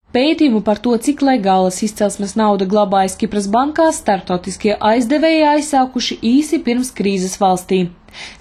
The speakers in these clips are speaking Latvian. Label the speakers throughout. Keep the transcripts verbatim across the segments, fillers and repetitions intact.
Speaker 1: Pētījumu par to, cik legālas izcelsmes nauda glabājas Kipras bankās, starptautiskie aizdevēji aizsākuši īsi pirms krīzes valstī.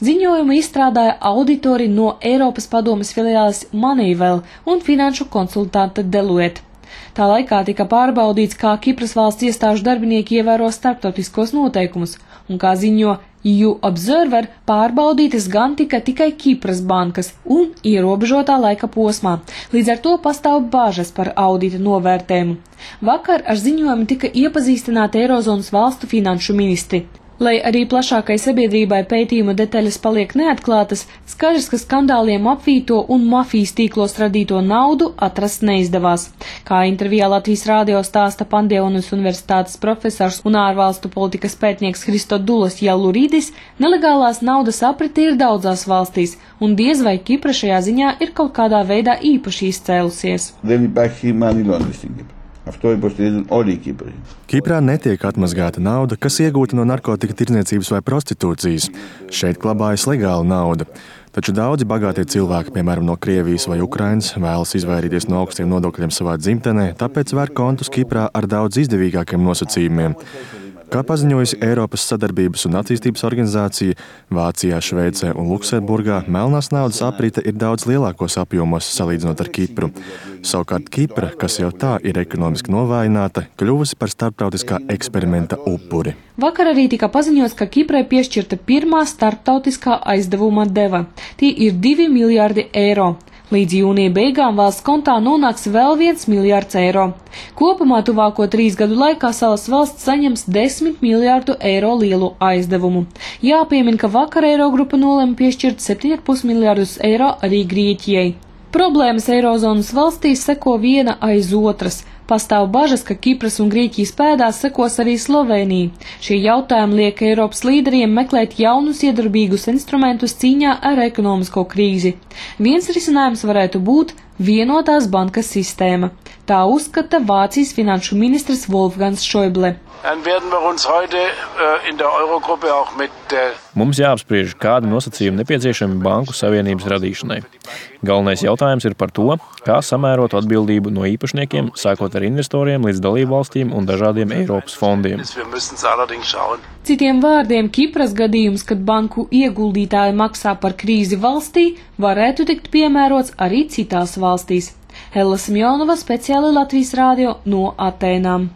Speaker 1: Ziņojumu izstrādāja auditori no Eiropas padomes filiāles Moneyval un finanšu konsultante Deloitte. Tā laikā tika pārbaudīts, kā Kipras valsts iestāžu darbinieki ievēro starptautiskos noteikumus, un kā ziņo E U Observer, pārbaudītas gan tika tikai Kipras bankas un ierobežotā laika posmā. Līdz ar to pastāv bāžas par audita novērtējumu. Vakar ar ziņojumu tika iepazīstināti Eirozonas valstu finanšu ministri. Lai arī plašākai sabiedrībai pētījuma detaļas paliek neatklātas, skaidrs, ka skandāliem apvīto un mafijas tīklos radīto naudu atrast neizdevās. Kā intervijā Latvijas rādio stāsta Pandionas universitātes profesors un ārvalstu politikas pētnieks Christodulos Jalluridis, nelegālās naudas aprite ir daudzās valstīs, un diez vai Kipra šajā ziņā ir kaut kādā veidā īpaši izcēlusies.
Speaker 2: Kiprā netiek atmazgāta nauda, kas iegūta no narkotika tirdzniecības vai prostitūcijas. Šeit glabājas legāla nauda. Taču daudzi bagātie cilvēki, piemēram no Krievijas vai Ukrainas, vēlas izvairīties no augstiem nodokļiem savā dzimtenē, tāpēc vēr kontus Kiprā ar daudz izdevīgākiem nosacījumiem. Kā paziņojusi Eiropas sadarbības un attīstības organizācija, Vācijā, Šveicē un Luksemburgā melnās naudas aprite ir daudz lielākos apjomos salīdzinot ar Kipru. Savukārt Kipra, kas jau tā ir ekonomiski novājināta, kļuvusi par starptautiskā eksperimenta upuri.
Speaker 1: Vakar arī tika paziņots, ka Kiprai piešķirta pirmā starptautiskā aizdevuma deva. Tie ir divi miljārdi eiro. Līdz jūnija beigām valsts kontā nonāks vēl viens miljārds eiro. Kopumā tuvāko trīs gadu laikā salas valsts saņems desmit miljārdu eiro lielu aizdevumu. Jāpiemina, ka vakar Eirogrupa nolēma piešķirt septiņi ar pus miljārdus eiro arī Grieķijai. Problēmas Eirozonas valstīs seko viena aiz otras. Pastāv bažas, ka Kipras un Grieķijas pēdās sekos arī Slovēnija. Šie jautājumi liek Eiropas līderiem meklēt jaunus iedarbīgus instrumentus cīņā ar ekonomisko krīzi. Viens risinājums varētu būt vienotās bankas sistēma. Tā uzskata Vācijas finanšu ministrs Wolfgangs Schäuble.
Speaker 3: Mums jāapspriež, kādi nosacījumi nepieciešami banku savienības radīšanai. Galvenais jautājums ir par to, kā samērot atbildību no īpašniekiem, sākot ar investoriem līdz dalību valstīm un dažādiem Eiropas fondiem.
Speaker 1: Citiem vārdiem, Kipras gadījums, kad banku ieguldītāji maksā par krīzi valstī, varētu tikt piemērots arī citās valstīs. Hella Simjonova, speciāli Latvijas rādio no Atēnām.